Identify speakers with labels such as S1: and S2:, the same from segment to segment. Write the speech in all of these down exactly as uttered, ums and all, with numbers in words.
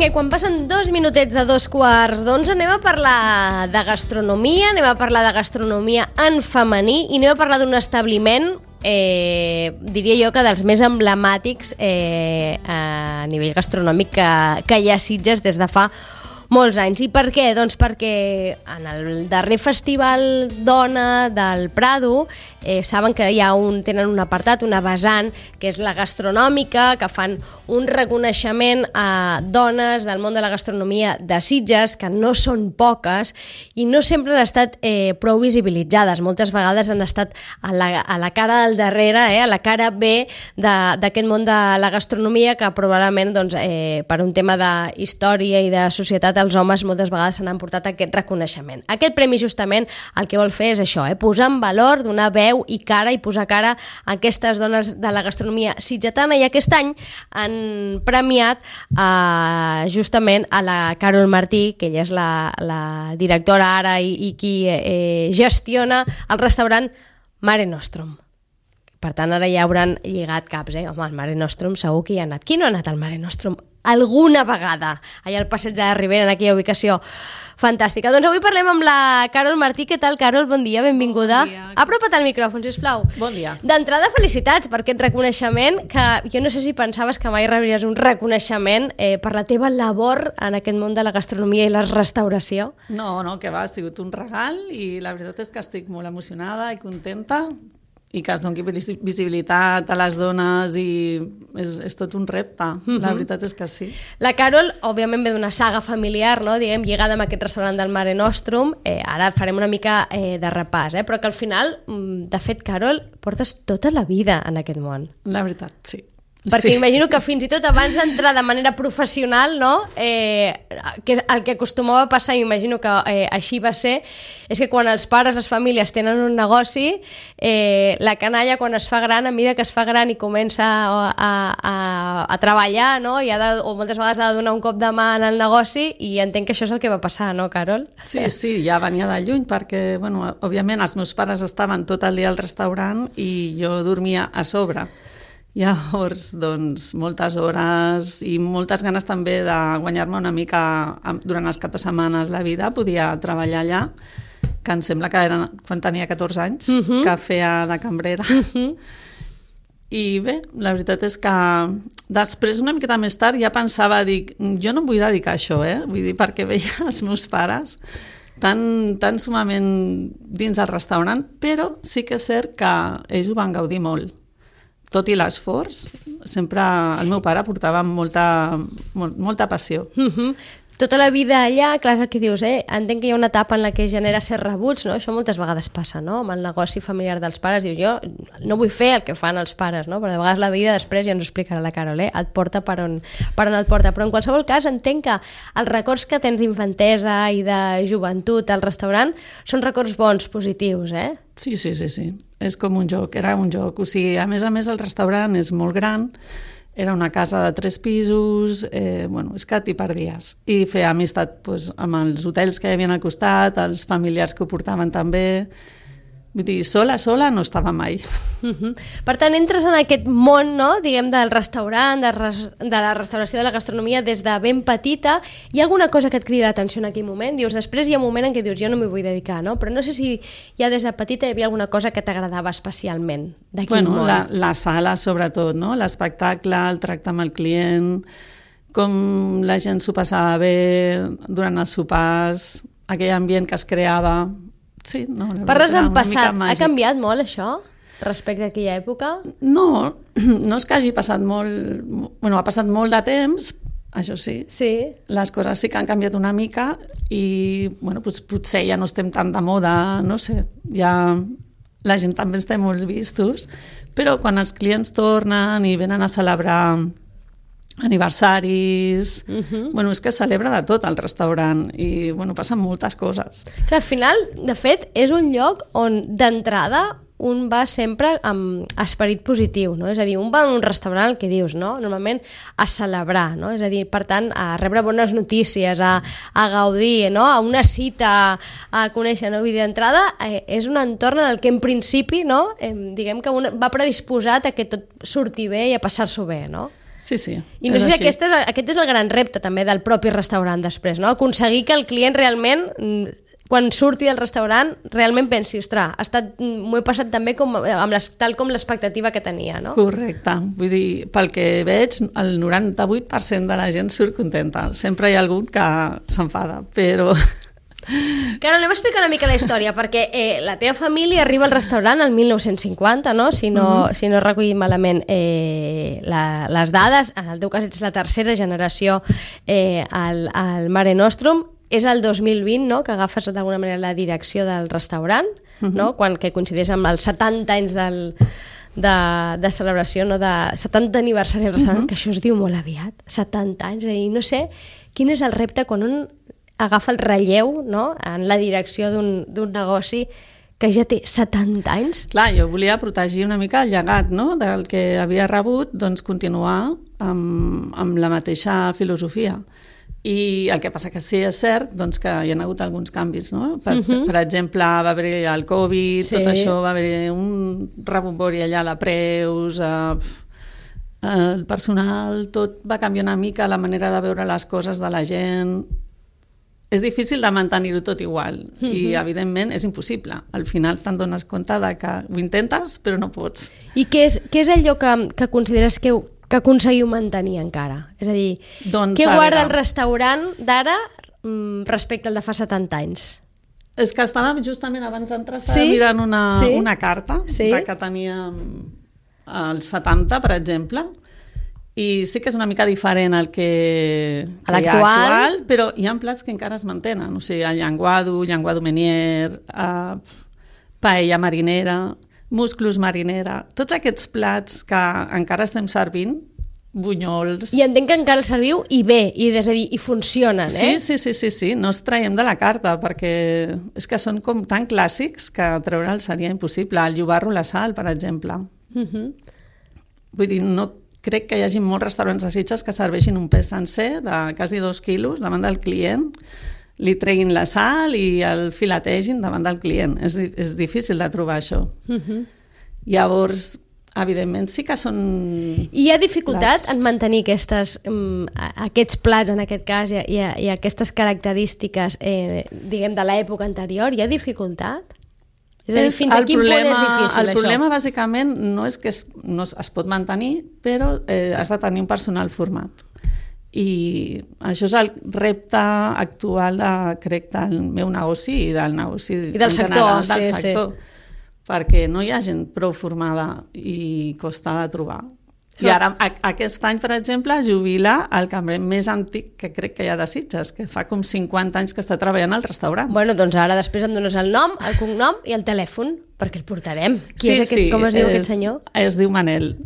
S1: Vinga, i quan passen dos minutets de dos quarts d'onze anem a parlar de gastronomia, anem a parlar de gastronomia en femení i anem a parlar d'un establiment, eh, diria jo que dels més emblemàtics eh, a nivell gastronòmic que, que hi ha a Sitges des de fa molts anys. I per què? Doncs perquè en el darrer festival Dona del Prado eh, saben que hi ha un, tenen un apartat, una vessant, que és la gastronòmica, que fan un reconeixement a dones del món de la gastronomia de Sitges, que no són poques i no sempre han estat eh, prou visibilitzades. Moltes vegades han estat a la, a la cara del darrere, eh, a la cara B d'aquest món de la gastronomia, que probablement doncs, eh, per un tema d'història i de societat els homes moltes vegades s'han emportat aquest reconeixement. Aquest premi justament el que vol fer és això, eh? posar en valor, donar veu i cara i posar cara a aquestes dones de la gastronomia sitgetana, i aquest any han premiat eh, justament a la Carol Martí, que ella és la, la directora ara i, i qui eh, gestiona el restaurant Mare Nostrum. Per tant, ara ja hauran lligat caps, eh? Home, al Mare Nostrum segur que hi ha anat. Qui no ha anat al Mare Nostrum alguna vegada? Allà al passeig de Ribera, en aquella ubicació fantàstica. Doncs avui parlem amb la Carol Martí. Què tal, Carol? Bon dia, benvinguda.
S2: Bon dia.
S1: Apropa't al micròfon, sisplau.
S2: Bon dia.
S1: D'entrada, felicitats per aquest reconeixement, que jo no sé si pensaves que mai rebries un reconeixement eh, per la teva labor en aquest món de la gastronomia i la restauració.
S2: No, no, que va, ha sigut un regal i la veritat és que estic molt emocionada i contenta, i que es doni visibilitat a les dones i és, és tot un repte, mm-hmm. La veritat és que sí.
S1: La Carol, òbviament, ve d'una saga familiar, no? Diguem, lligada amb aquest restaurant del Mare Nostrum. Eh, ara farem una mica eh, de repàs, eh? Però que al final, de fet, Carol, portes tota la vida en aquest món.
S2: La veritat, sí.
S1: Perquè
S2: sí.
S1: Imagino que fins i tot abans d'entrar de manera professional, no? eh, que el que acostumava a passar, imagino que eh, així va ser, és que quan els pares, les famílies tenen un negoci, eh, la canalla quan es fa gran, a mesura que es fa gran i comença a, a, a treballar, no? I ha de, o moltes vegades ha de donar un cop de mà en el negoci, i entenc que això és el que va passar, no, Carol?
S2: Sí, sí, ja venia de lluny perquè, bueno, òbviament els meus pares estaven tot el dia al restaurant i jo dormia a sobre. Llavors, doncs, moltes hores i moltes ganes també de guanyar-me una mica durant els caps de setmanes la vida. Podia treballar allà, que em sembla que era quan tenia catorze anys, uh-huh. que feia de cambrera. Uh-huh. I bé, la veritat és que després, una miqueta més tard, ja pensava, dic, jo no em vull dedicar a això, eh? Vull dir, perquè veia els meus pares tan, tan sumament dins del restaurant, però sí que és cert que ells ho van gaudir molt. Tot i l'esforç, sempre el meu pare portava molta, molt, molta passió.
S1: Uh-huh. Tota la vida allà, clar, és el que dius, eh? Entenc que hi ha una etapa en la que genera ser rebuts, no? Això moltes vegades passa, no? Amb el negoci familiar dels pares, dius, jo no vull fer el que fan els pares, no? Però de vegades la vida després, ja ens ho explicarà la Carol, eh? Et porta per on, per on et porta. Però en qualsevol cas entenc que els records que tens d'infantesa i de joventut al restaurant són records bons, positius, eh?
S2: Sí, sí, sí, sí. És com un joc, era un joc. O sigui, a més a més el restaurant és molt gran, era una casa de tres pisos, eh, bueno, és que t'hi perdies. I fer amistat doncs, amb els hotels que hi havia al costat, els familiars que ho portaven també. Vull dir, sola, sola no estava mai.
S1: Uh-huh. Per tant, entres en aquest món, no?, diguem, del restaurant, de, res, de la restauració, de la gastronomia, des de ben petita. Hi ha alguna cosa que et crida l'atenció en aquell moment? Dius, després hi ha un moment en què dius, jo no m'hi vull dedicar, no? Però no sé si ja des de petita hi havia alguna cosa que t'agradava especialment d'aquell
S2: bueno,
S1: món.
S2: La, la sala, sobretot, no? L'espectacle, el tracte amb el client, com la gent s'ho passava bé durant els sopars, aquell ambient que es creava. Sí, no,
S1: parles en passat. Ha canviat molt això respecte a aquella època?
S2: No, no és que hagi passat molt... Bueno, ha passat molt de temps, això sí.
S1: Sí.
S2: Les coses sí que han canviat una mica i, bueno, doncs, potser ja no estem tan de moda, no sé, ja la gent també està molt vistos, però quan els clients tornen i venen a celebrar aniversaris, uh-huh. bueno, és que es celebra de tot al restaurant i bueno, passen moltes coses.
S1: Clar, al final, de fet, és un lloc on d'entrada un va sempre amb esperit positiu, no? És a dir, un va a un restaurant, el que dius, no? Normalment a celebrar, no? És a dir, per tant, a rebre bones notícies, a, a gaudir, no? A una cita, a conèixer, no? Vull dir, d'entrada, eh, és un entorn en el que en principi, no? Eh, diguem que un va predisposat a que tot surti bé i a passar-s'ho bé, no?
S2: Sí, sí.
S1: I no sé si aquest és, aquest és el gran repte també del propi restaurant després, no? Aconseguir que el client realment, quan surti del restaurant, realment pensi, ostres, ha estat, m'ho he passat també com, amb les, tal com l'expectativa que tenia, no?
S2: Correcte. Vull dir, pel que veig, el noranta-vuit per cent de la gent surt contenta. Sempre hi ha algun que s'enfada, però...
S1: Claro, anem a explicar una mica la història, perquè eh, la teva família arriba al restaurant el mil nou-cents cinquanta, no? Si no, uh-huh. si no recollim malament eh, la, les dades. En el teu cas ets la tercera generació eh, al, al Mare Nostrum. És el dos mil vint, no?, que agafes d'alguna manera la direcció del restaurant, uh-huh. no?, quan, que coincideix amb els setanta anys del, de, de celebració, no?, de setanta aniversari del restaurant, uh-huh. que això es diu molt aviat, setanta anys, i no sé quin és el repte quan un agafa el relleu, no?, en la direcció d'un negoci que ja té setanta anys.
S2: Clar, jo volia protegir una mica el llegat, no?, del que havia rebut, doncs continuar amb, amb la mateixa filosofia. I el que passa que sí és cert doncs, que hi ha hagut alguns canvis, no? Per, uh-huh. per exemple, va haver el Covid, sí. tot això, va haver un rebombori allà de preus, eh, el personal, tot va canviar una mica la manera de veure les coses de la gent. És difícil de mantenir-ho tot igual uh-huh. i, evidentment, és impossible. Al final te'n dones compte de que ho intentes, però no pots.
S1: I què és, què és allò que, que consideres que, que aconseguiu mantenir encara? És a dir, doncs, què guarda el restaurant d'ara respecte al de fa setanta anys?
S2: És que estava justament abans d'entrar, estava sí? mirant una, sí? una carta sí? de que teníem els setanta, per exemple, i sí que és una mica diferent al que, que hi ha actual, però hi ha plats que encara es mantenen, o sigui, el llenguado, llenguado menier, uh, paella marinera, musclos marinera, tots aquests plats que encara estem servint, bunyols...
S1: I entenc que encara els serviu i bé, i, és a dir, i funcionen, eh?
S2: Sí, sí, sí, sí, sí, no els traiem de la carta, perquè és que són com tan clàssics que treure'ls seria impossible. El llobarro a la sal, per exemple. Uh-huh. Vull dir, no crec que hi hagi molts restaurants de Sitges que serveixin un peix sencer de quasi dos quilos davant del client, li treguin la sal i el filetegin davant del client. És, és difícil de trobar això. Uh-huh. Llavors, evidentment, sí que són...
S1: I hi ha dificultat plats. En mantenir aquestes, um, aquests plats, en aquest cas, i, i, i aquestes característiques, eh, diguem, de l'època anterior? Hi ha dificultat? És a dir, fins a quin punt és difícil,
S2: el problema, això? Bàsicament, no és que es, no es pot mantenir, però eh, has de tenir un personal format. I això és el repte actual, de, crec, del meu negoci i del negoci
S1: I del
S2: en
S1: sector,
S2: general del
S1: sí,
S2: sector.
S1: Sí.
S2: Perquè no hi ha gent prou formada i costa de trobar. I ara, a, aquest any, per exemple, jubila el cambrer més antic que crec que hi ha de Sitges, que fa com cinquanta anys que està treballant al restaurant.
S1: Bueno, doncs ara després em dones el nom, el cognom i el telèfon, perquè el portarem. Qui
S2: sí,
S1: és aquest,
S2: sí,
S1: com es diu
S2: és,
S1: aquest senyor?
S2: Es diu Manel.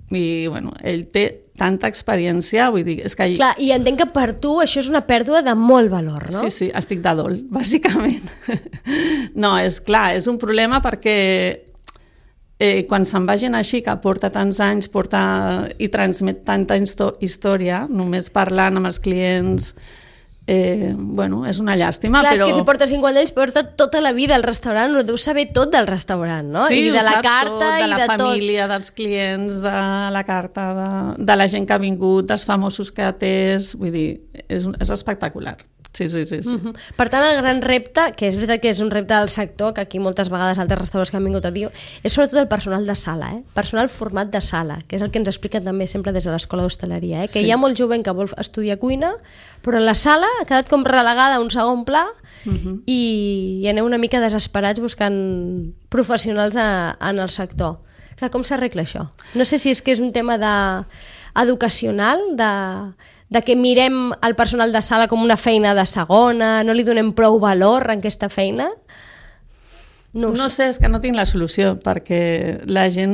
S2: I, bueno, ell té tanta experiència, vull dir... És que...
S1: Clar, i entenc que per tu això és una pèrdua de molt valor, no?
S2: Sí, sí, estic de dol, bàsicament. No, és clar, és un problema perquè eh, quan se'n va gent així, que porta tants anys, porta i transmet tanta història, només parlant amb els clients... Eh, bueno, és una llàstima,
S1: clar,
S2: però...
S1: Clar, és que si porta cinquanta anys, porta tota la vida al restaurant, ho deu saber tot del restaurant, no?
S2: Sí,
S1: I de la carta
S2: tot, de
S1: i
S2: la
S1: de
S2: família,
S1: tot.
S2: Dels clients, de la carta, de, de la gent que ha vingut, dels famosos que ha atès, vull dir, és, és espectacular. Sí, sí, sí. sí.
S1: Uh-huh. Per tant, el gran repte, que és veritat que és un repte del sector, que aquí moltes vegades altres restaurants que han vingut a dir, és sobretot el personal de sala, eh? Personal format de sala, que és el que ens expliquen també sempre des de l'escola d'hostaleria, eh? Que sí. Hi ha molt jovent que vol estudiar cuina, però la sala ha quedat com relegada a un segon pla uh-huh. i, i aneu una mica desesperats buscant professionals a, en el sector. Clar, com s'arregla això? No sé si és que és un tema de, educacional, de... de que mirem el personal de sala com una feina de segona, no li donem prou valor a aquesta feina? No,
S2: no sé, és que no tinc la solució, perquè la gent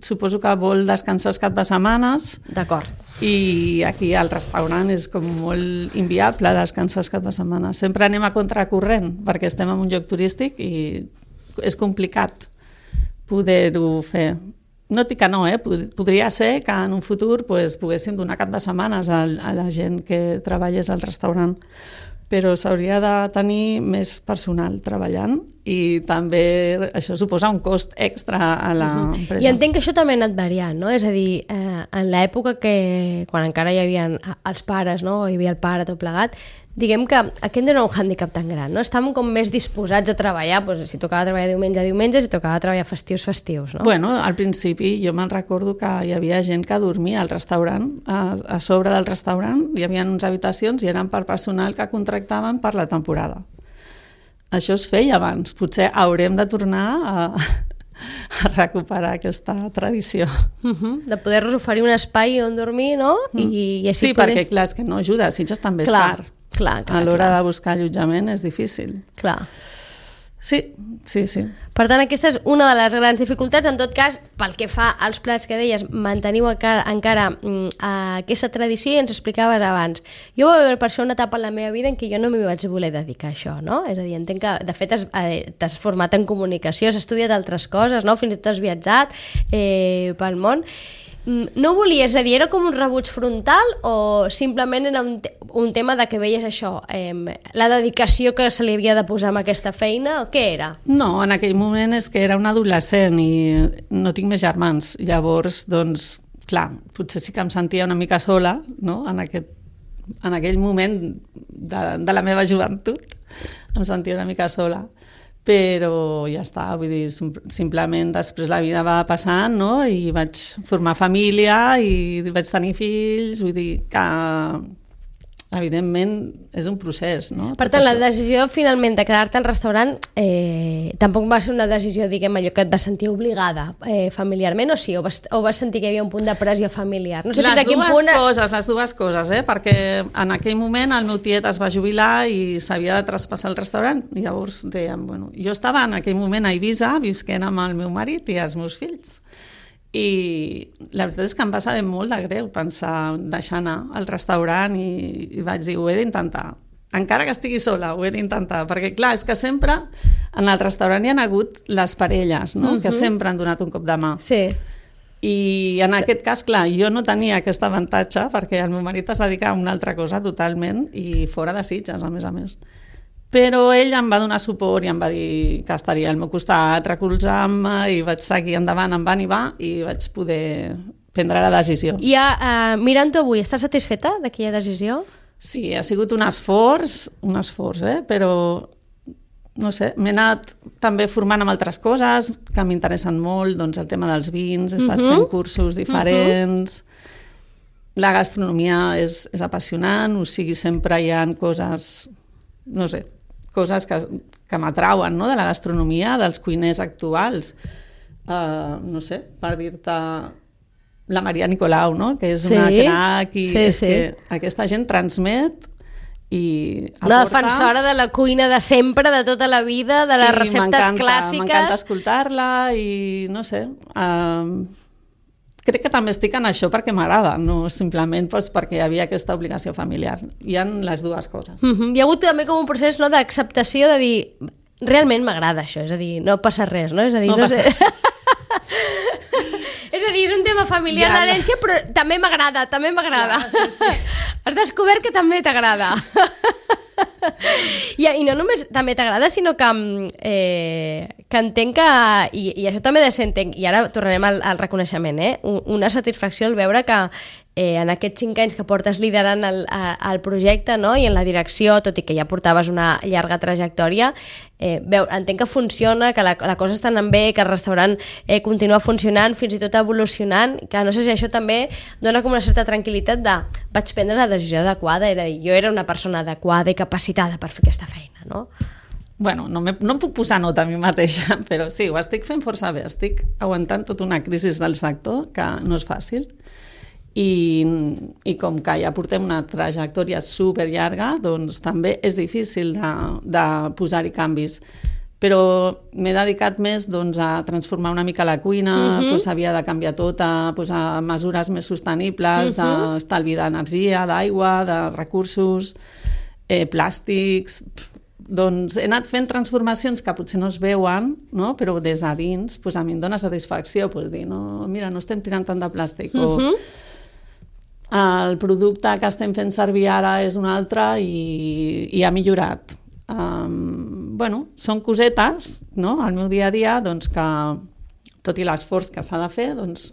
S2: suposo que vol descansar els cap de setmanes.
S1: D'acord.
S2: I aquí al restaurant és com molt inviable descansar els cap de setmana. Sempre anem a contracorrent, perquè estem en un lloc turístic i és complicat poder-ho fer. No dic que no, eh? Podria ser que en un futur pues, poguéssim donar cap de setmanes a, a la gent que treballés al restaurant, però s'hauria de tenir més personal treballant i també això suposa un cost extra a l'empresa.
S1: I entenc que això també ha anat variant, no? És a dir, eh, en l'època que, quan encara hi havia els pares, no? Hi havia el pare tot plegat, diguem que aquest no era un hàndicap tan gran, no? Estàvem com més disposats a treballar, doncs, si tocava treballar diumenge a diumenge, si tocava treballar festius, festius, no?
S2: Bueno, al principi jo me'n recordo que hi havia gent que dormia al restaurant, a, a sobre del restaurant, hi havia uns habitacions i eren per personal que contractaven per la temporada. Això es feia abans. Potser haurem de tornar a, a recuperar aquesta tradició.
S1: Uh-huh. De poder-nos oferir un espai on dormir, no? I, i així
S2: sí,
S1: poder...
S2: perquè clar, és que no ajuda. Sitges també és
S1: clar,
S2: car.
S1: Clar, clar,
S2: a l'hora
S1: clar.
S2: de buscar allotjament és difícil.
S1: Clar.
S2: Sí, sí, sí.
S1: Per tant, aquesta és una de les grans dificultats. En tot cas, pel que fa als plats que deies, manteniu encara, encara mm, aquesta tradició i ens explicaves abans. Jo vaig veure per això una etapa en la meva vida en què jo no m'hi vaig voler dedicar a això, no? És a dir, entenc que, de fet, has, eh, t'has format en comunicació, has estudiat altres coses, no? Fins i tot has viatjat eh, pel món. No volies, és a dir, era com un rebuig frontal o simplement era un, te un tema de que veies això, eh, la dedicació que se li havia de posar amb aquesta feina, o què era?
S2: No, en aquell moment és que era un adolescent i no tinc més germans. Llavors, doncs, clar, potser sí que em sentia una mica sola, no?, en, aquest, en aquell moment de, de la meva joventut. Em sentia una mica sola. Però ja està, vull dir, simplement després la vida va passant, no?, i vaig formar família i vaig tenir fills, vull dir que evidentment és un procés, no?
S1: Per tant, la decisió finalment de quedar-te al restaurant eh, tampoc va ser una decisió, diguem, allò que et vas sentir obligada eh, familiarment, o sí? O vas, o vas sentir que hi havia un punt de pressió familiar? No sé
S2: les
S1: fins a quin
S2: dues
S1: punt...
S2: coses, les dues coses, eh? Perquè en aquell moment el meu tiet es va jubilar i s'havia de traspassar el restaurant, i llavors dèiem, bueno, jo estava en aquell moment a Eivissa visquent amb el meu marit i els meus fills. I la veritat és que em va saber molt de greu pensar deixar anar al restaurant i, i vaig dir, ho he d'intentar. Encara que estigui sola, ho he d'intentar. Perquè, clar, és que sempre en el restaurant hi ha hagut les parelles, no? Uh-huh. Que sempre han donat un cop de mà.
S1: Sí.
S2: I en aquest cas, clar, jo no tenia aquest avantatge perquè el meu marit es dedica a una altra cosa totalment i fora de Sitges, a més a més. Però ell em va donar suport i em va dir que estaria al meu costat, recolzant-me, i vaig seguir endavant, em va i va, i vaig poder prendre la decisió.
S1: I uh, mirant-ho avui, estàs satisfeta d'aquella decisió?
S2: Sí, ha sigut un esforç, un esforç, eh? Però no sé, m'he anat també formant amb altres coses que m'interessen molt, doncs el tema dels vins, he estat uh-huh. fent cursos diferents, uh-huh. la gastronomia és, és apassionant, o sigui, sempre hi ha coses, no sé, coses que, que m'atrauen, no?, de la gastronomia, dels cuiners actuals. Uh, no sé, per dir-te la Maria Nicolau, no?, que és sí, una crac i sí, és sí. que aquesta gent transmet i aporta...
S1: La defensora de la cuina de sempre, de tota la vida, de les receptes clàssiques.
S2: M'encanta escoltar-la i no sé... Uh, crec que també estic en això perquè m'agrada, no simplement doncs, perquè hi havia aquesta obligació familiar. Hi ha les dues coses.
S1: Uh-huh. Hi ha hagut també com un procés, no?, d'acceptació de dir, realment m'agrada això, és a dir, no passa res, no? És a dir, no, no sé... és a dir, és un tema familiar ja, d'herència, però també m'agrada, també m'agrada. Ja, sí, sí. Has descobert que també t'agrada. Sí. I, I no només també t'agrada, sinó que, eh, que entenc que, i, i això també de ser, entenc, i ara tornarem al, al reconeixement, eh? Una satisfacció al veure que eh, en aquests cinc anys que portes liderant el, el projecte, no?, i en la direcció, tot i que ja portaves una llarga trajectòria, eh, veu, entenc que funciona, que la, la cosa està anant bé, que el restaurant eh, continua funcionant, fins i tot evolucionant, que no sé si això també dona com una certa tranquil·litat de vaig prendre la decisió adequada, era dir, jo era una persona adequada i capacitada per fer aquesta feina, no?
S2: Bueno, no, me, no em puc posar nota a mi mateixa, però sí, ho estic fent força bé, estic aguantant tota una crisi del sector que no és fàcil. I, i com que ja portem una trajectòria super llarga, doncs també és difícil de, de posar-hi canvis. Però m'he dedicat més doncs, a transformar una mica la cuina, uh-huh. doncs havia de canviar tot, a posar mesures més sostenibles, uh-huh. d'estalvi d'energia, d'aigua, de recursos, eh, plàstics... Doncs he anat fent transformacions que potser no es veuen, no? Però des de dins doncs a mi em dona satisfacció doncs dir, no, mira, no estem tirant tant de plàstic, uh-huh. o el producte que estem fent servir ara és un altre i, i ha millorat. Um, bueno, són cosetes, no?, al meu dia a dia, doncs que, tot i l'esforç que s'ha de fer, doncs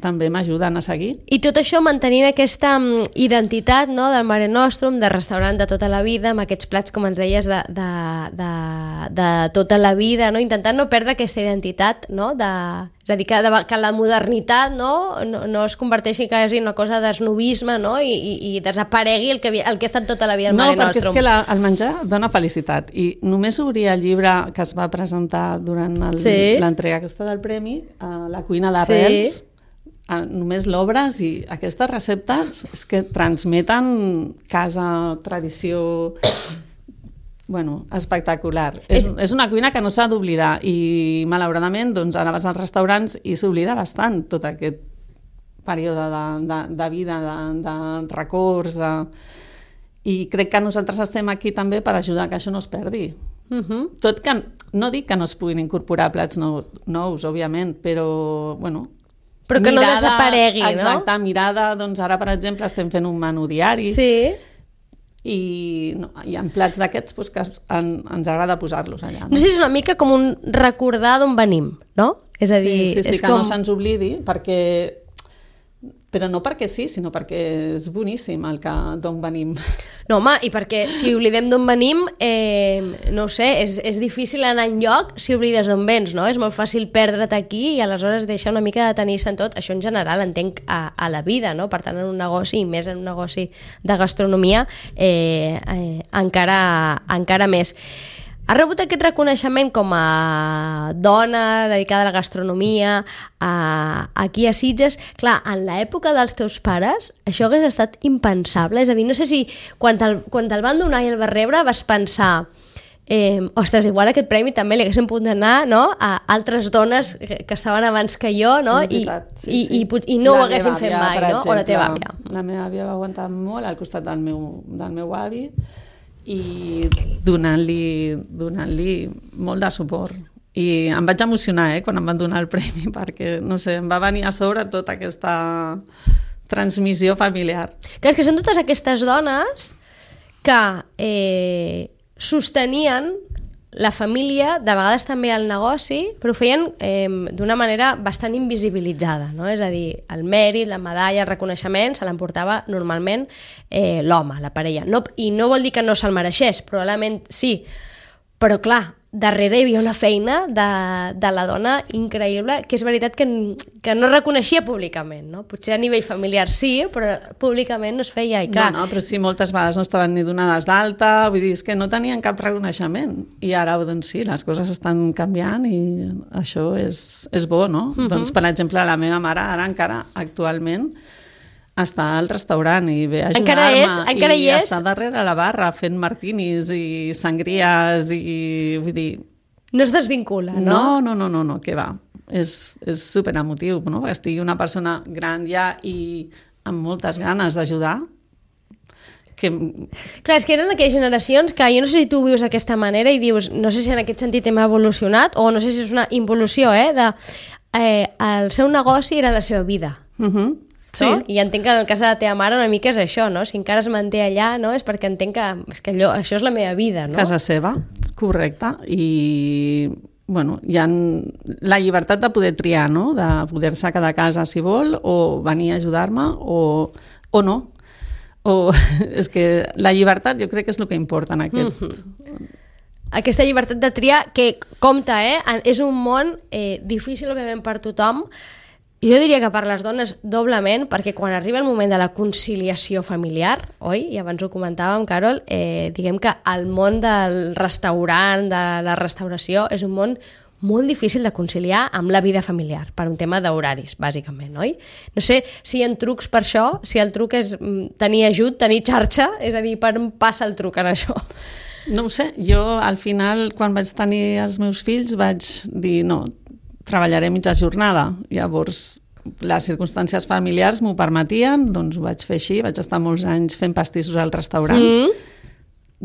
S2: també m'ajuden a seguir.
S1: I tot això mantenint aquesta um, identitat, no?, del Mare Nostrum, de restaurant de tota la vida, amb aquests plats, com ens deies, de, de, de, de tota la vida, no?, intentant no perdre aquesta identitat, no?, de, és a dir, que, de, que la modernitat, no?, no, no es converteixi quasi en una cosa d'esnovisme, no?, i, i, i desaparegui el que, el que ha estat tota la vida el Mare Nostrum.
S2: No, perquè és que la, el menjar dona felicitat, i només obrir el llibre que es va presentar durant el, sí. l'entrega aquesta del premi, a la cuina d'arrels, sí. només l'obres i aquestes receptes és que transmeten casa, tradició, bueno, espectacular. És, és una cuina que no s'ha d'oblidar i malauradament doncs, ara vas als restaurants i s'oblida bastant tot aquest període de, de, de vida, de, de records, de... i crec que nosaltres estem aquí també per ajudar que això no es perdi. Uh-huh. Tot que, no dic que no es puguin incorporar plats nous, nous òbviament, però, bueno,
S1: però que mirada, no desaparegui, no?
S2: Exacte, mirada, doncs ara, per exemple, estem fent un menú diari
S1: sí.
S2: i no, hi ha plats d'aquests doncs, que en, ens agrada posar-los allà.
S1: No? no sé si és una mica com un recordar d'on venim, no? És a dir,
S2: sí, sí, sí
S1: és
S2: que
S1: com...
S2: no se'ns oblidi, perquè... però no perquè sí, sinó perquè és boníssim el que d'on venim.
S1: No, home, i perquè si oblidem d'on venim, eh, no ho sé, és, és difícil anar enlloc si oblides d'on vens, no? És molt fàcil perdre't aquí i aleshores deixar una mica de tenir-se en tot. Això en general entenc a, a la vida, no? Per tant, en un negoci, i més en un negoci de gastronomia, eh, eh, encara, encara més. Ha rebut aquest reconeixement com a dona dedicada a la gastronomia a, aquí a Sitges. Clar, en l'època dels teus pares això hagués estat impensable. És a dir, no sé si quan te'l, quan te'l van donar i el vas rebre vas pensar eh, ostres, igual aquest premi també li haguéssim pogut donar, no?, a altres dones que estaven abans que jo, no? I, sí, i, sí. i, i no la ho haguéssim fet mai, no?
S2: Exemple,
S1: o la teva àvia.
S2: La meva àvia va aguantar molt al costat del meu, del meu avi i donant-li donant-li molt de suport. I em vaig emocionar eh, quan em van donar el premi, perquè, no sé, em va venir a sobre tota aquesta transmissió familiar.
S1: Clar, que són totes aquestes dones que eh, sostenien la família, de vegades també el negoci, però ho feien eh, d'una manera bastant invisibilitzada, no? És a dir, el mèrit, la medalla, el reconeixement se l'emportava normalment eh, l'home, la parella. No, I no vol dir que no se'l mereixés, probablement sí, però clar, darrere hi havia una feina de, de la dona increïble, que és veritat que, que no reconeixia públicament, no? Potser a nivell familiar sí, però públicament no es feia. I clar...
S2: No, no, però sí, moltes vegades no estaven ni donades d'alta, vull dir, és que no tenien cap reconeixement. I ara, doncs sí, les coses estan canviant i això és, és bo, no? Uh-huh. Doncs, per exemple, la meva mare ara encara actualment està al restaurant i ve a ajudar-me i, i està darrere la barra fent martinis i sangries i vull dir...
S1: No es desvincula, no?
S2: No, no, no, no, no, què va. És, és superemotiu, no? Que estigui una persona gran ja i amb moltes ganes d'ajudar. Que...
S1: Clar, és que eren aquelles generacions que jo no sé si tu ho vius d'aquesta manera i dius, no sé si en aquest sentit hem evolucionat o no sé si és una involució, eh? De, eh el seu negoci era la seva vida.
S2: Mhm. Uh-huh. Sí.
S1: No? I entenc que en el cas de la teva mare una mica és això, no? Si encara es manté allà, no? És perquè entenc que, és que allò, això és la meva vida, no?
S2: Casa seva, correcte. I, bueno, hi ha la llibertat de poder triar, no? De poder-se quedar a casa si vol o venir a ajudar-me o, o no. O, és que la llibertat jo crec que és el que importa en aquest... Mm-hmm.
S1: Aquesta llibertat de triar, que compta, eh? És un món eh, difícil, òbviament, per tothom. Jo diria que per les dones doblement, perquè quan arriba el moment de la conciliació familiar, oi? I abans ho comentàvem, Carol, eh, diguem que el món del restaurant, de la restauració, és un món molt difícil de conciliar amb la vida familiar, per un tema d'horaris, bàsicament, oi? No sé si hi ha trucs per això, si el truc és tenir ajut, tenir xarxa, és a dir, per on passa el truc en això?
S2: No ho sé, jo al final, quan vaig tenir els meus fills, vaig dir, no, treballaré mitja jornada. Llavors, les circumstàncies familiars m'ho permetien, doncs ho vaig fer així, vaig estar molts anys fent pastissos al restaurant. Mm.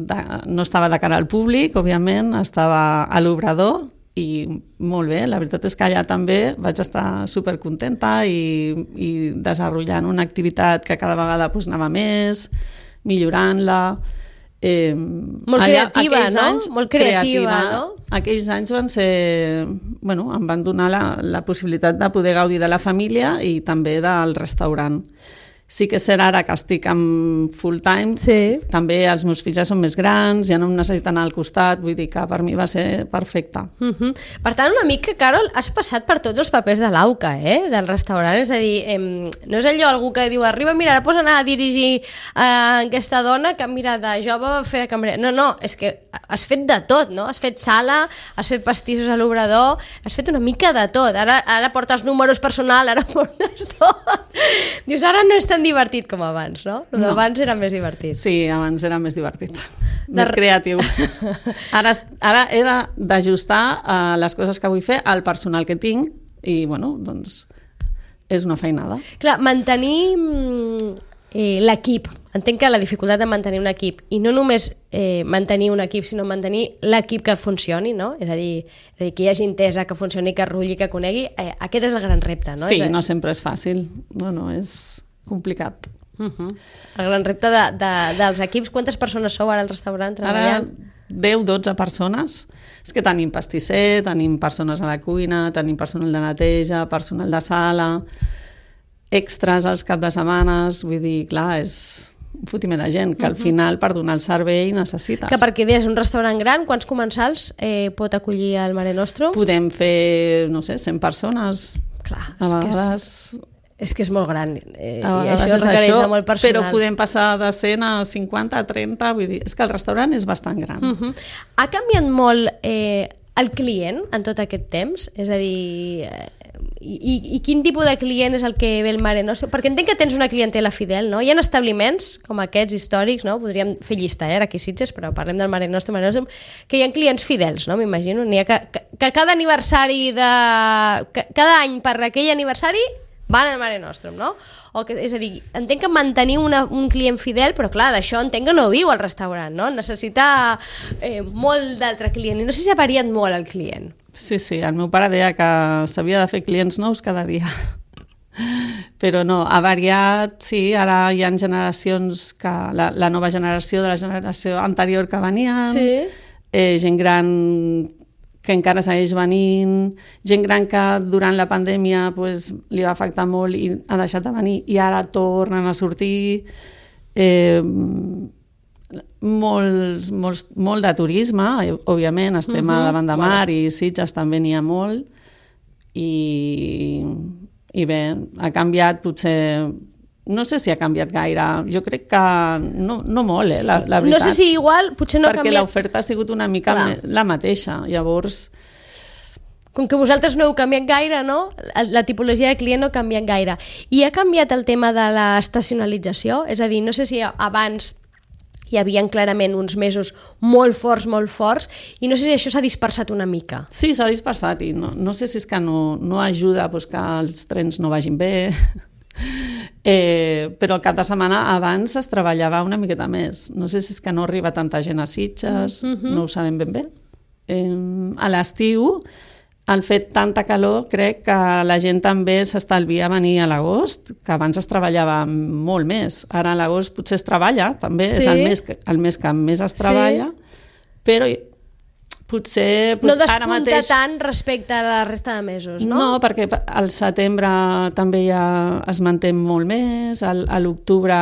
S2: De, no estava de cara al públic, òbviament, estava a l'obrador i molt bé, la veritat és que allà també vaig estar supercontenta i, i desenvolupant una activitat que cada vegada pues, anava més, millorant-la Eh,
S1: molt creativa, no?
S2: Anys,
S1: molt creativa,
S2: creativa,
S1: no?
S2: Aquells anys van ser... Bueno, em van donar la, la possibilitat de poder gaudir de la família i també del restaurant. Sí que és cert ara que estic amb full time,
S1: sí.
S2: També els meus fills ja són més grans, ja no em necessiten anar al costat, vull dir que per mi va ser perfecte.
S1: Uh -huh. Per tant, una mica, Carol, has passat per tots els papers de l'Auca, eh? Del restaurant, és a dir, eh, no és allò algú que diu, arriba, mira, ara pots anar a dirigir eh, aquesta dona que mira de jove va fer de cambrer. No, no, és que has fet de tot, no? Has fet sala, has fet pastissos a l'obrador, has fet una mica de tot. Ara, ara portes números personal, ara portes tot. Dius, ara no és tan divertit com abans, no? El d'abans no. Era més divertit.
S2: Sí, abans era més divertit. Més de... creatiu. Ara, ara he d'ajustar uh, les coses que vull fer al personal que tinc i, bueno, doncs és una feinada.
S1: Clar, mantenir eh, l'equip. Entenc que la dificultat de mantenir un equip, i no només eh, mantenir un equip, sinó mantenir l'equip que funcioni, no? És a dir, és a dir que hi hagi entesa, que funcioni, que rulli, que conegui. Eh, aquest és el gran repte, no?
S2: Sí,
S1: és a...
S2: no sempre és fàcil. No, no, és complicat.
S1: Uh -huh. El gran repte de, de, dels equips. Quantes persones sou ara al restaurant treballant?
S2: Ara deu dotze persones. És que tenim pastisser, tenim persones a la cuina, tenim personal de neteja, personal de sala, extras als cap de setmanes, vull dir, clar, és un fotiment de gent que al final per donar el servei necessites.
S1: Que perquè és un restaurant gran, quants comensals eh, pot acollir el Mare Nostrum?
S2: Podem fer, no sé, cent persones.
S1: Clar,
S2: a
S1: és
S2: vegades...
S1: que és... És que és molt gran, eh,
S2: i
S1: això requereix això, de molt personal.
S2: Però podem passar de cent a cinquanta, a trenta, vull dir, és que el restaurant és bastant gran.
S1: Uh -huh. Ha canviat molt eh, el client en tot aquest temps? És a dir, eh, i, i quin tipus de client és el que ve el Mare Nostrum? Perquè entenc que tens una clientela fidel, no? Hi ha establiments com aquests històrics, no? Podríem fer llista, eh, aquí a Sitges, però parlem del Mare Nostrum, Mare Nostrum, que hi ha clients fidels, no? M'imagino. N'hi ha que, que, que cada aniversari de... Que, cada any per aquell aniversari van al Mare Nostrum, no? O que, és a dir, entenc que mantenir una, un client fidel, però clar, d'això entenc que no viu al restaurant, no? Necessita eh, molt d'altre client, i no sé si ha variat molt el client.
S2: Sí, sí, el meu pare deia que s'havia de fer clients nous cada dia. Però no, ha variat, sí, ara hi ha generacions, que la, la nova generació de la generació anterior que venien,
S1: sí.
S2: eh, gent gran que encara segueix venint, gent gran que durant la pandèmia pues, li va afectar molt i ha deixat de venir i ara tornen a sortir, eh, molts, molts, molt de turisme, òbviament, estem uh-huh. a davant de mar bueno. I Sitges també n'hi ha molt i, i bé, ha canviat potser... No sé si ha canviat gaire, jo crec que no, no molt, eh, la, la veritat.
S1: No sé si igual, potser no ha
S2: perquè
S1: canviat...
S2: Perquè l'oferta ha sigut una mica Clar. la mateixa, llavors...
S1: Com que vosaltres no heu canviat gaire, no? La tipologia de client no ha canviat gaire. I ha canviat el tema de l'estacionalització? És a dir, no sé si abans hi havia clarament uns mesos molt forts, molt forts, i no sé si això s'ha dispersat una mica.
S2: Sí, s'ha dispersat, i no, no sé si és que no, no ajuda doncs, que els trens no vagin bé... Eh, però el cap de setmana abans es treballava una miqueta més. No sé si és que no arriba tanta gent a Sitges, mm-hmm. no ho sabem ben bé. Eh, a l'estiu, al fet tanta calor, crec que la gent també s'estalvia a venir a l'agost, que abans es treballava molt més. Ara a l'agost potser es treballa, també sí. És el mes, el mes que més es treballa, sí. Però... potser...
S1: No despunta mateix... tant respecte a la resta de mesos, no?
S2: No, perquè al setembre també ja es manté molt més, al, a l'octubre...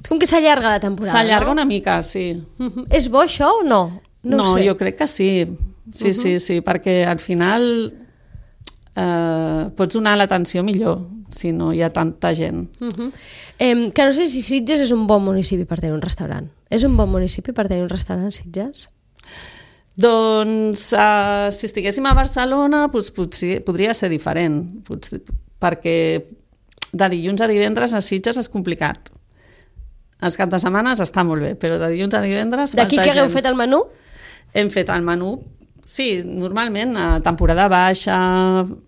S1: És com que s'allarga la temporada,
S2: S'allarga
S1: no?
S2: una mica, sí.
S1: Uh-huh. És bo això o no? No,
S2: no
S1: sé.
S2: Jo crec que sí. Sí, uh-huh. sí, sí, perquè al final eh, pots donar l'atenció millor si no hi ha tanta gent.
S1: Uh-huh. eh, que no sé si Sitges és un bon municipi per tenir un restaurant. És un bon municipi per tenir un restaurant, Sitges?
S2: Doncs uh, si estiguéssim a Barcelona doncs, potser, podria ser diferent, potser, perquè de dilluns a divendres a Sitges és complicat. Els caps de setmana està molt bé, però de dilluns a divendres...
S1: D'aquí que hagueu fet el menú?
S2: Hem fet el menú, sí, normalment a temporada baixa,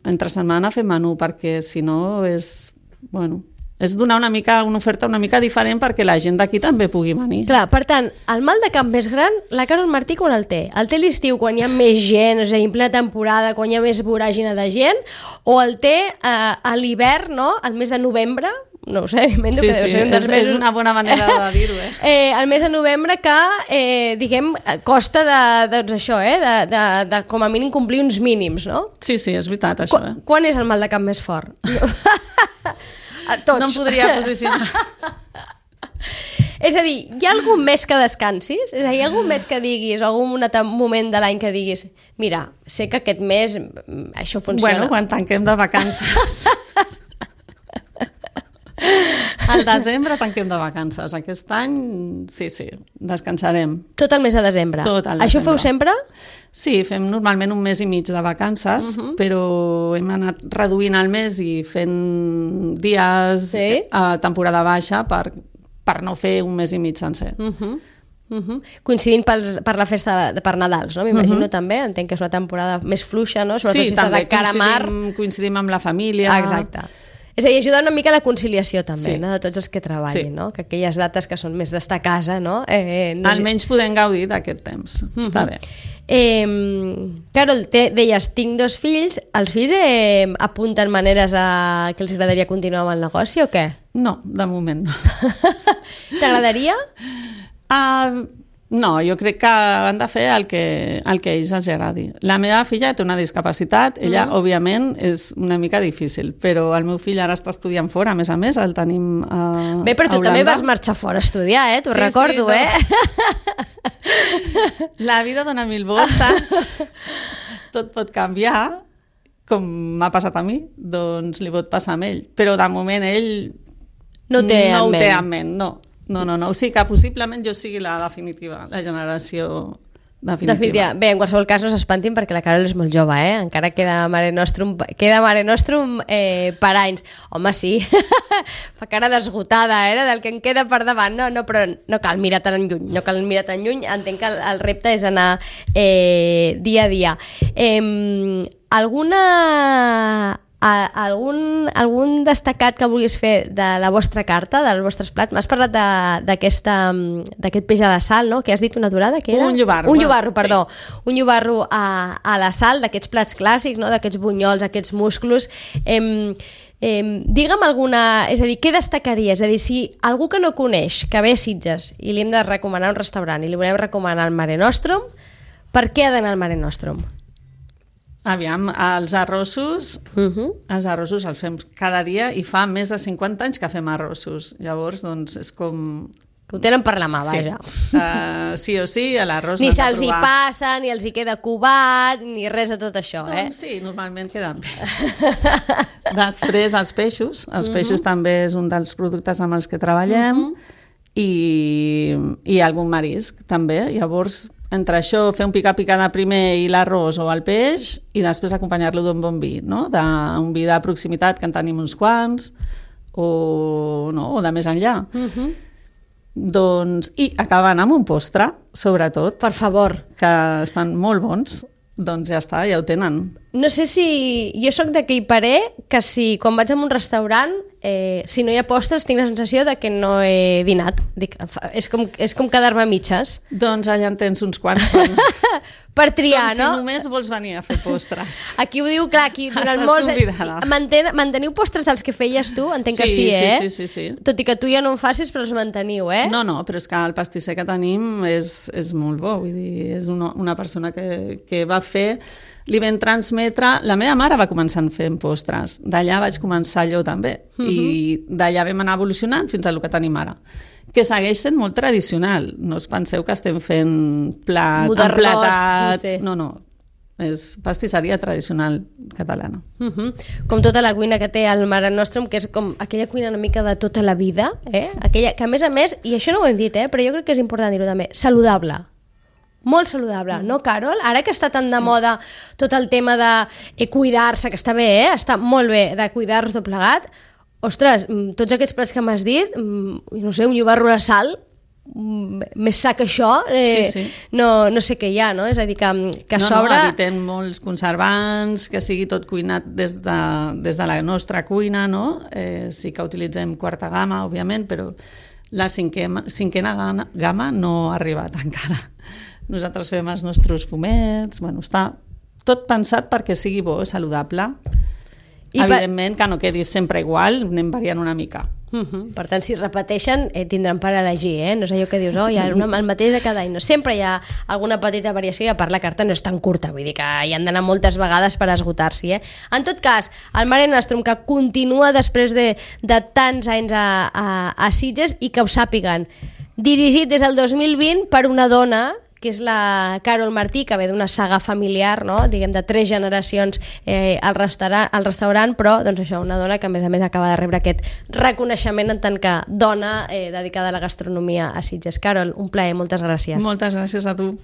S2: entre setmana fem menú, perquè si no és... Bueno, és donar una mica una oferta una mica diferent perquè la gent d'aquí també pugui venir.
S1: Clar, per tant, el mal de camp més gran, la Carol Martí quan el té? El té l'estiu quan hi ha més gent, és a dir, en plena temporada, quan hi ha més voràgina de gent, o el té eh, a l'hivern, no?, al mes de novembre, no ho sé, m'invento
S2: Sí,
S1: que deu
S2: sí,
S1: ser un dels
S2: és,
S1: mesos...
S2: és una bona manera de dir-ho, eh?
S1: Eh, el mes de novembre que, eh, diguem, costa de, doncs això, eh, de, de, de com a mínim complir uns mínims, no?
S2: Sí, sí, és veritat, això,
S1: Qu
S2: eh?
S1: Quan és el mal de cap més fort? A tots.
S2: No em podria posicionar.
S1: És a dir, hi ha algun mes que descansis? És a dir, hi ha algun mes que diguis, o algun moment de l'any que diguis, mira, sé que aquest mes mm, això funciona.
S2: Bueno, quan tanquem de vacances. Al desembre tanquem de vacances. Aquest any, sí, sí, descansarem.
S1: Tot el mes de desembre.
S2: Tot el
S1: Això
S2: desembre.
S1: feu sempre?
S2: Sí, fem normalment un mes i mig de vacances, uh -huh. però hem anat reduint el mes i fent dies
S1: Sí?
S2: a temporada baixa per, per no fer un mes i mig sencer.
S1: Uh -huh. Uh -huh. Coincidint per, per la festa de, per Nadals, no? M'imagino uh -huh. també, entenc que és una temporada més fluixa, no? Sobretot
S2: Sí,
S1: si estàs
S2: també
S1: a cara mar.
S2: coincidim, coincidim amb la família.
S1: Ah, exacte. És a dir, ajuda una mica a la conciliació també,
S2: Sí.
S1: no? De tots els que treballin,
S2: Sí.
S1: no? Que aquelles dates que són més d'estar a casa, no? Eh, no
S2: Almenys podem gaudir d'aquest temps. Uh -huh. Està bé.
S1: Eh, Carol, te, deies, tinc dos fills. Els fills eh, apunten maneres a que els agradaria continuar amb el negoci o què?
S2: No, de moment no.
S1: T'agradaria?
S2: Uh, no, jo crec que han de fer el que, el que a ells els agradi. La meva filla té una discapacitat, ella, mm. òbviament, és una mica difícil, però el meu fill ara està estudiant fora, a més a més, el tenim a
S1: Bé, però tu
S2: a
S1: també
S2: Holanda.
S1: vas marxar fora a estudiar, eh? T'ho
S2: Sí,
S1: recordo,
S2: sí, no.
S1: eh?
S2: La vida dona mil voltes, tot pot canviar, com m'ha passat a mi, doncs li pot passar a ell. Però de moment ell
S1: No ho té
S2: no
S1: en
S2: ho té
S1: ment.
S2: en ment, no. No, no, no. O sigui que possiblement jo sigui la definitiva, la generació definitiva.
S1: Definitiva. Bé, en qualsevol cas no s'espantin perquè la Carol és molt jove, eh? Encara queda Mare Nostrum, queda Mare Nostrum eh, per anys. Home, sí, fa cara d'esgotada, eh? Del que em queda per davant. No, no, però no cal mirar tan lluny, no cal mirar tan lluny. Entenc que el, el repte és anar eh, dia a dia. Eh, alguna... A, algun, algun destacat que vulguis fer de la vostra carta, dels vostres plats? M'has parlat de- d'aquesta d'aquest peix a la sal, no? Que has dit una durada, que era?
S2: Un llobarro.
S1: Un llobarro, perdó. Sí. Un llobarro a, a la sal, d'aquests plats clàssics, no? D'aquests bunyols, aquests musclos. Em, em, digue'm alguna... És a dir, què destacaries? És a dir, si algú que no coneix, que ve a Sitges i li hem de recomanar un restaurant i li volem recomanar el Mare Nostrum, per què ha d'anar al Mare Nostrum?
S2: Aviam, els arrossos,
S1: Uh -huh.
S2: els arrossos els fem cada dia i fa més de cinquanta anys que fem arrossos. Llavors, doncs, és com...
S1: Que ho tenen per la mà, vaja.
S2: Sí, uh, sí o sí, a l'arròs
S1: Ni
S2: l'hem de
S1: se'ls hi
S2: provar.
S1: passa, ni els hi queda cubat, ni res de tot això, eh?
S2: Doncs sí, normalment queden bé. Després, els peixos. Els peixos també és un dels productes amb els que treballem. I, i algun marisc, també. Llavors, entre això, fer un picar-picar de primer i l'arròs o el peix, i després acompanyar-lo d'un bon vi, no? D'un vi de proximitat, que en tenim uns quants, o, no? o de més enllà.
S1: Uh -huh.
S2: Doncs, i acabant amb un postre, sobretot,
S1: Per favor.
S2: que estan molt bons, doncs ja està, ja ho tenen.
S1: No sé si... Jo sóc d'aquell parer que si quan vaig a un restaurant, eh, si no hi ha postres, tinc la sensació de que no he dinat. Dic, fa- és com, és com quedar-me a mitges.
S2: Doncs allà en tens uns quants, com,
S1: Per triar,
S2: com
S1: no?
S2: si només vols venir a fer postres.
S1: Aquí ho diu, clar, aquí durant
S2: Estàs
S1: molts...
S2: convidada.
S1: Manten, manteniu postres dels que feies tu? Entenc que
S2: Sí,
S1: sí,
S2: sí,
S1: eh?
S2: sí, sí, sí.
S1: Tot i que tu ja no en facis, però els manteniu, eh?
S2: No, no, però és que el pastisser que tenim és, és molt bo, vull dir, és una, una persona que, que va fer, li vam transmetre... La meva mare va començar fent postres, d'allà vaig començar jo també, uh -huh. i d'allà vam anar evolucionant fins a el que tenim ara, que segueix sent molt tradicional. No us penseu que estem fent plat,
S1: Modernós,
S2: emplatats...
S1: no sé.
S2: No, no, és pastisseria tradicional catalana.
S1: Uh -huh. Com tota la cuina que té el Mare Nostrum, que és com aquella cuina una mica de tota la vida, eh? Aquella que a més a més, i això no ho hem dit, eh? Però jo crec que és important dir-ho també, saludable. Molt saludable, no, Carol? Ara que està tan de sí. moda tot el tema de eh, cuidar-se, que està bé, eh? Està molt bé de cuidar-nos tot plegat. Ostres, mm, tots aquests plats que m'has dit, mm, no sé, un llobarro a sal, mm, més sa que això, eh,
S2: Sí, sí.
S1: No, no sé què hi ha, no? És a dir, que, que a
S2: no,
S1: sobre...
S2: No, evitem molts conservants, que sigui tot cuinat des de, des de la nostra cuina, no? Eh, sí que utilitzem quarta gamma, òbviament, però la cinquena, cinquena gamma, gamma no ha arribat encara. Nosaltres fem els nostres fumets, bueno, està tot pensat perquè sigui bo, saludable. I Evidentment pa... que no quedis sempre igual, anem variant una mica.
S1: Uh-huh. Per tant, si repeteixen, eh, tindran per elegir, eh? No és allò que dius, oh, hi ha una, el mateix de cada any. No, sempre hi ha alguna petita variació i a part la carta no és tan curta, vull dir que hi han d'anar moltes vegades per esgotar-s'hi, eh? En tot cas, el Mare Nostrum, que continua després de, de tants anys a, a, a Sitges i que ho sàpiguen, dirigit des del dos mil vint per una dona, que és la Carol Martí, que ve d'una saga familiar, no? Diguem, de tres generacions eh, al, restaurant, al restaurant, però doncs això, una dona que a més a més acaba de rebre aquest reconeixement en tant que dona eh, dedicada a la gastronomia a Sitges. Carol, un plaer, moltes gràcies.
S2: Moltes gràcies a tu.